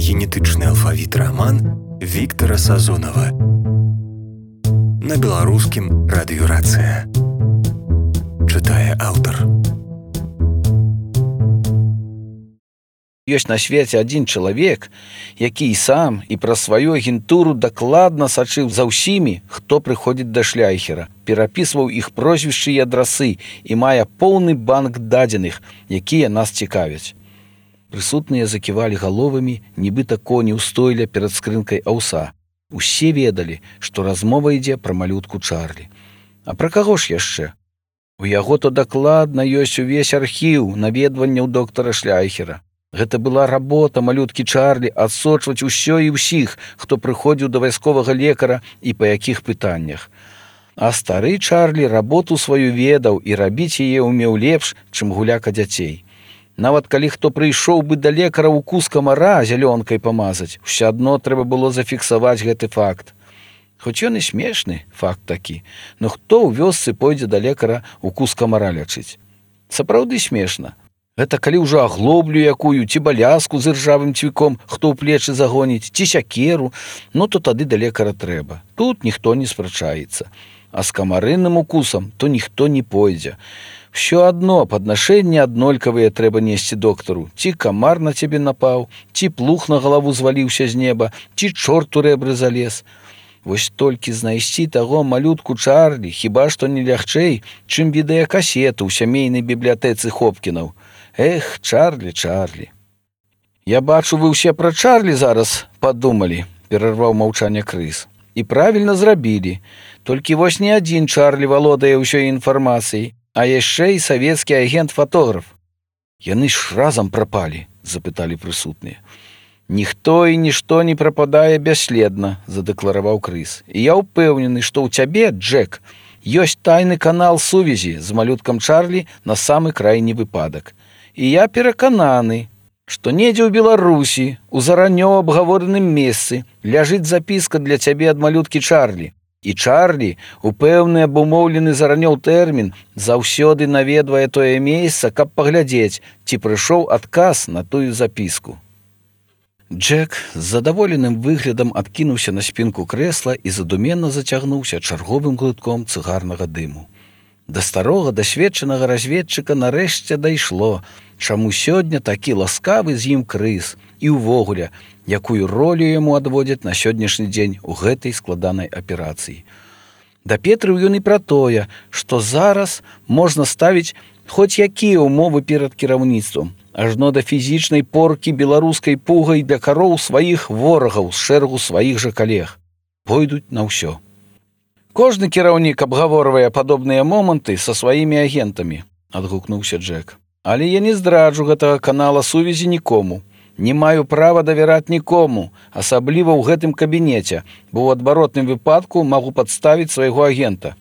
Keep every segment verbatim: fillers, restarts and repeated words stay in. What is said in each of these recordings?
генетычны алфавіт раман Віктара Сазонава. На беларускім радыёрацыя. Чытае аўтар. Ёсць на свеце адзін чалавек, які і сам і пра сваю агентуру дакладна сачыў за ўсімі, хто прыходзіць да шляйхера, перапісваў іх прозвішчы і адрасы і мае поўны банк дадзеных, якія нас цікавяць. Прысутныя заківалі галовамі, нібыта коні ў стойле перад скрынкай аўса. Усе ведалі, што размова ідзе пра малютку Чарлі. А пра каго ж яшчэ? У яго то дакладна ёсць увесь архіў наведванняў доктара Шляйхера. Гэта была работа малюткі Чарлі адсочваць усё і ўсіх, хто прыходзіў да вайсковага лекара і па якіх пытаннях. А стары Чарлі работу сваю ведаў і рабіць яе ўмеў лепш, чым гуляка дзяцей. Нават калі хто прыйшоў бы да лекара укус камара зялёнкай памазаць, усё адно трэба было зафіксаваць гэты факт. Хоць ён і смешны, факт такі, но хто ў вёсцы пойдзе да лекара укус камара лячыць? Сапраўды смешна. Гэта калі ўжо аглоблю якую, ці балязку з іржавым цвіком, хто ў плечы загоніць, ці сякеру, ну то тады да лекара трэба. Тут ніхто не спрачаецца. А з камарынным укусам то ніхто не пойдзе. Всё адно паднашэнні аднолькавыя трэба несці доктару. Ці камар на цябе напаў, ці плуг на галаву зваліўся з неба, ці чорт у рэбры залез. Вось толькі знайсці таго малютку Чарлі хіба што не лягчэй, чым відэакасету ў сямейнай бібліятэцы Хопкінаў. Эх, Чарлі, Чарлі. Я бачу, вы ўсе пра Чарлі зараз падумалі, перарваў маўчанне Крыс. І правільна зрабілі. Толькі вось не адзін Чарлі валодае ўсёй інфармацыяй, а яшчэ і савецкі агент-фатограф. Яны ж разам прапалі, запыталі прысутныя. Ніхто і нішто не прападае бясследна, задэклараваў Крыс. І я ўпэўнены, што ў цябе, Джек, ёсць тайны канал сувязі з малюткам Чарлі на самы крайні выпадак. І я перакананы, што недзе ў Беларусі, у заранёў абгавораным месцы, ляжыць запіска для цябе ад малюткі Чарлі. І Чарлі, у пэўны абумоўлены заранёў тэрмін, заўсёды наведвае тое месца, каб паглядзець, ці прыйшоў адказ на тую запіску. Джек з задаволеным выглядам адкінуўся на спінку крэсла і задуменна зацягнуўся чарговым глытком цыгарнага дыму. Да старога дасведчанага разведчыка нарэшце дайшло, чаму сёння такі ласкавы з ім Крыс і ўвогуле, якую ролю яму адводзяць на сённяшні дзень у гэтай складанай аперацыі. Дапетрыў ён і пра тое, што зараз можна ставіць хоць якія ўмовы перад кіраўніцтвам, ажно да фізічнай поркі беларускай пугай для кароў сваіх ворагаў з шэрагу сваіх жа калег. Пойдуць на ўсё. Кожны кіраўнік абгаворвае падобныя моманты са сваімі агентамі, адгукнуўся Джек. Але я не здраджу гэтага канала сувязі нікому. Не маю права давяраць нікому, асабліва ў гэтым кабінеце, бо ў адваротным выпадку магу падставіць свайго агента.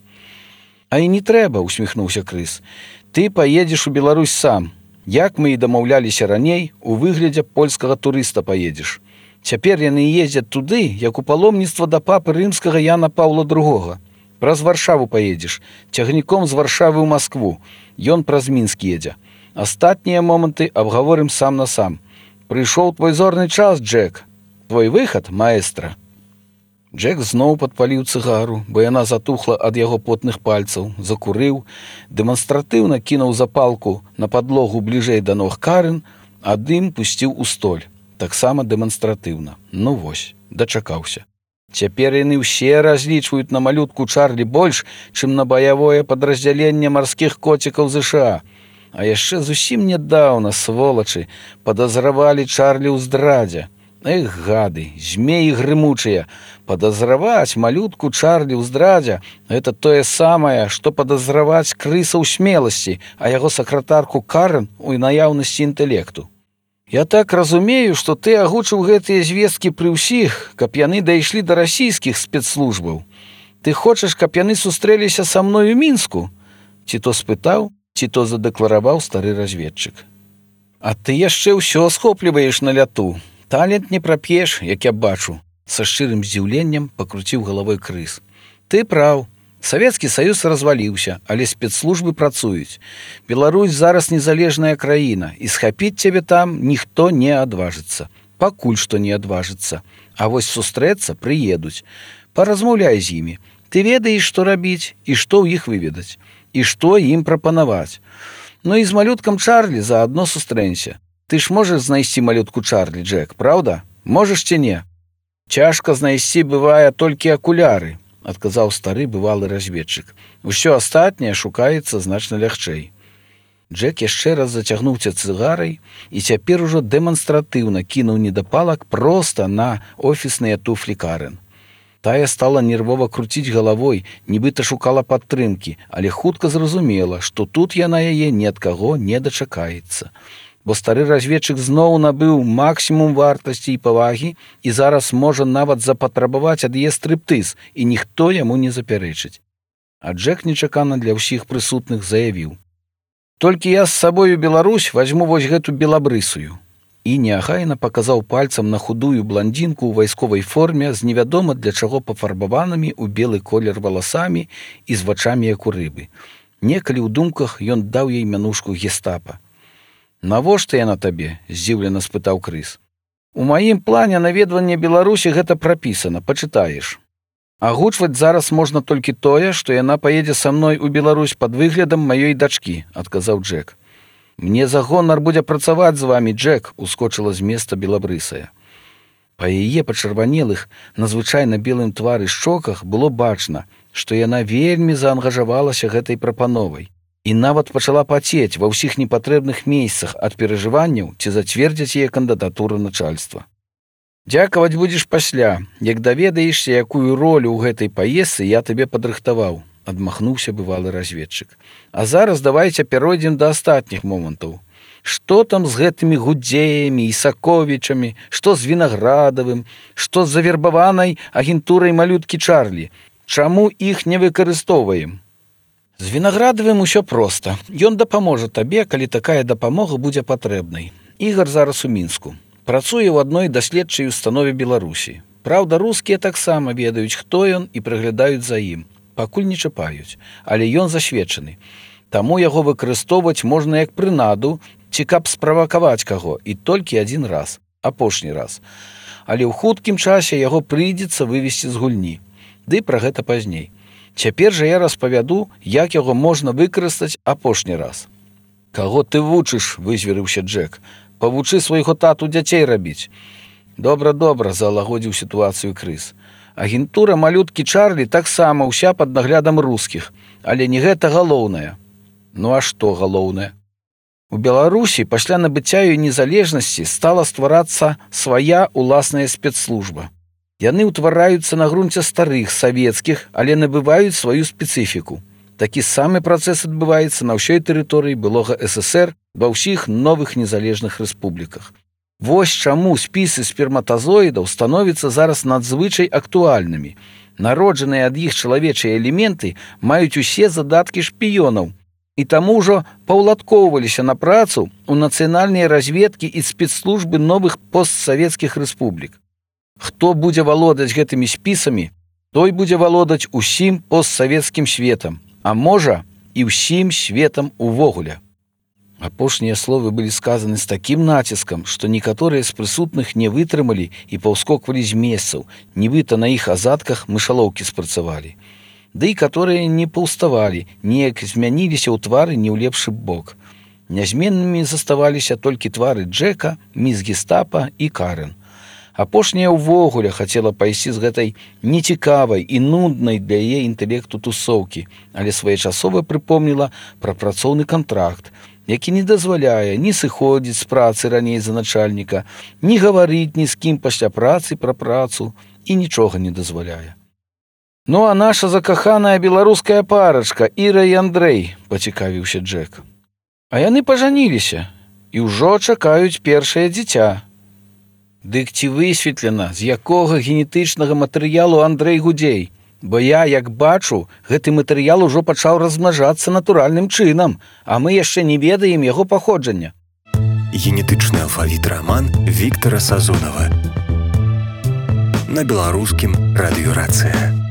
А і не трэба, усміхнуўся Крыс. Ты паедзеш у Беларусь сам. Як мы і дамаўляліся раней, у выглядзе польскага турыста паедзеш. Цяпер яны ездзяць туды, як у паломніцтва да папы рымскага Яна Паўла другога. Праз Варшаву паедзеш, цягніком з Варшавы ў Маскву. Ён праз Мінск едзе. Астатнія моманты абгаворым сам на сам. Прыйшоў твой зорны час, Джек. Твой выхад, маэстра. Джек зноў падпаліў цыгару, бо яна затухла ад яго потных пальцаў, закурыў, дэманстратыўна кінуў запалку на падлогу бліжэй да ног Карен, а дым пусціў у столь. Таксама дэманстратыўна. Ну вось, дачакаўся. Цяпер яны ўсе разлічваюць на малютку Чарлі больш, чым на баявое падраздзяленне марскіх коцікаў ЗША. А яшчэ зусім нядаўна, сволачы, падазравалі Чарлі ў здрадзе. Эх, гады, змеі грымучыя. Падазраваць малютку Чарлі ў здрадзе – гэта тое самае, што падазраваць Крыса ў смеласці, а яго сакратарку Карен у наяўнасці інтэлекту. Я так разумею, што ты агучыў гэтыя звесткі пры ўсіх, каб яны дайшлі да расійскіх спецслужбаў. Ты хочаш, каб яны сустрэліся са мною ў Мінску? Ці то спытаў, ці то задэклараваў стары разведчык. А ты яшчэ ўсё схопліваеш на ляту. Талент не прап'еш, як я бачу. Са шчырым здзіўленнем пакруціў галавой Крыс. Ты праў. Савецкі Саюз разваліўся, але спецслужбы працуюць. Беларусь зараз незалежная краіна, і схапіць цябе там ніхто не адважыцца. пакуль што не адважыцца. А вось сустрэцца прыедуць. Паразмаўляй з імі. Ты ведаеш, што рабіць і што ў іх выведаць, і што ім прапанаваць. Ну і з малюткам Чарлі заадно сустрэнься. Ты ж можаш знайсці малютку Чарлі, Джек, праўда? Можаш ці не? Цяжка знайсці бывае толькі акуляры, адказаў стары бывалы разведчык. Усё астатняе шукаецца значна лягчэй. Джек яшчэ раз зацягнуўся цыгарай і цяпер ужо дэманстратыўна кінуў недапалак проста на офісныя туфлі Карен. Тая стала нервова круціць галавой, нібыта шукала падтрымкі, але хутка зразумела, што тут яна яе ні ад каго не дачакаецца. Бо стары разведчык зноў набыў максімум вартасці і павагі і зараз можа нават запатрабаваць ад яе стрыптыз, і ніхто яму не запярэчыць. А Джек нечакана для ўсіх прысутных заявіў: «Толькі я з сабою Беларусь вазьму вось гэту белабрысую». І неахайна паказаў пальцам на худую бландзінку ў вайсковай форме з невядома для чаго пафарбаванымі ў белы колер валасамі і з вачамі як у рыбы. Некалі ў думках ён даў ёй мянушку гестапа. «Навошта яна табе?» – здзіўлена спытаў Крыс. «У маім плане наведвання Беларусі гэта прапісана, пачытаеш. Агучваць зараз можна толькі тое, што яна паедзе са мной у Беларусь пад выглядам маёй дачкі», – адказаў Джек. «Мне за гонар будзе працаваць з вамі, Джек», – ускочыла з места белабрысая. Па яе пачырванелых, надзвычайна белым твары шчоках было бачна, што яна вельмі заангажавалася гэтай прапановай і нават пачала пацець ва ўсіх непатрэбных месцах ад перажыванняў, ці зацвердзяць яе кандыдатуру начальства. «Дзякаваць будзеш пасля, як даведаешся, якую ролю ў гэтай паездцы я табе падрыхтаваў», – адмахнуўся бывалы разведчык. «А зараз давайце перайдзем да астатніх момантаў. Што там з гэтымі Гудзеямі і Саковічамі, што з Вінаградавым, што з завербаванай агентурай малюткі Чарлі? Чаму іх не выкарыстоўваем?» «З Вінаградавым усё проста. Ён дапаможа табе, калі такая дапамога будзе патрэбнай. Ігар зараз у Мінску. Працуе ў адной даследчай установе Беларусі. Праўда, рускія таксама ведаюць, хто ён і прыглядаюць за ім. Пакуль не чапаюць, але ён засведчаны. Таму яго выкарыстоўваць можна як прынаду, ці каб справакаваць каго, і толькі адзін раз, апошні раз. Але ў хуткім часе яго прыйдзецца вывесці з гульні. Ды пра гэта пазней. Цяпер жа я распавяду, як яго можна выкарыстаць апошні раз». «Каго ты вучыш?» – вызверыўся Джек. «Павучы свайго тату дзяцей рабіць». «Добра, добра», – залагодзіў сітуацыю Крыс. «Агентура малюткі Чарлі таксама ўся пад наглядам рускіх, але не гэта галоўнае». «Ну а што галоўнае?» «У Беларусі пасля набыцця ёй незалежнасці стала стварацца свая ўласная спецслужба. Яны ўтвараюцца на грунце старых савецкіх, але набываюць сваю спецыфіку. Такі самы працэс адбываецца на ўсёй тэрыторыі былога эс эс ер ва ўсіх новых незалежных рэспубліках. Вось чаму спісы сперматазоідаў становяцца зараз надзвычай актуальнымі. Народжаныя ад іх чалавечыя элементы маюць усе задаткі шпіёнаў, і таму ўжо паўладкоўваліся на працу ў нацыянальныя разведкі і спецслужбы новых постсавецкіх рэспублік. Хто будзе валодаць гэтымі спісамі, той будзе валодаць усім постсавецкім светам, а можа і ўсім светам увогуле». Апошнія словы былі сказаны з такім націскам, што некаторыя з прысутных не вытрымалі і паўскоквалі з месцаў, нібыта на іх азадках мышалоўкі спрацавалі. Ды і каторыя не паўставалі, неяк змяніліся ў твары не ў лепшы бок. Нязменнымі заставаліся толькі твары Джека, міс Гестапа і Карен. Апошняя ўвогуле хацела пайсці з гэтай нецікавай і нуднай для яе інтэлекту тусоўкі, але своечасова прыпомніла пра працоўны кантракт, які не дазваляе ні сыходзіць з працы раней за начальніка, ні гаварыць ні з кім пасля працы пра працу і нічога не дазваляе. «Ну а наша закаханая беларуская парачка Іра і Андрэй», – пацікавіўся Джек. «А яны пажаніліся і ўжо чакаюць першае дзіця». «Дык ці высветлена, з якога генетычнага матэрыялу Андрэй Гудзей? Бо я, як бачу, гэты матэрыял ужо пачаў размнажацца натуральным чынам, а мы яшчэ не ведаем яго паходжання». Генетычны алфавіт раман Віктара Сазонава. На беларускім радыёрацыя.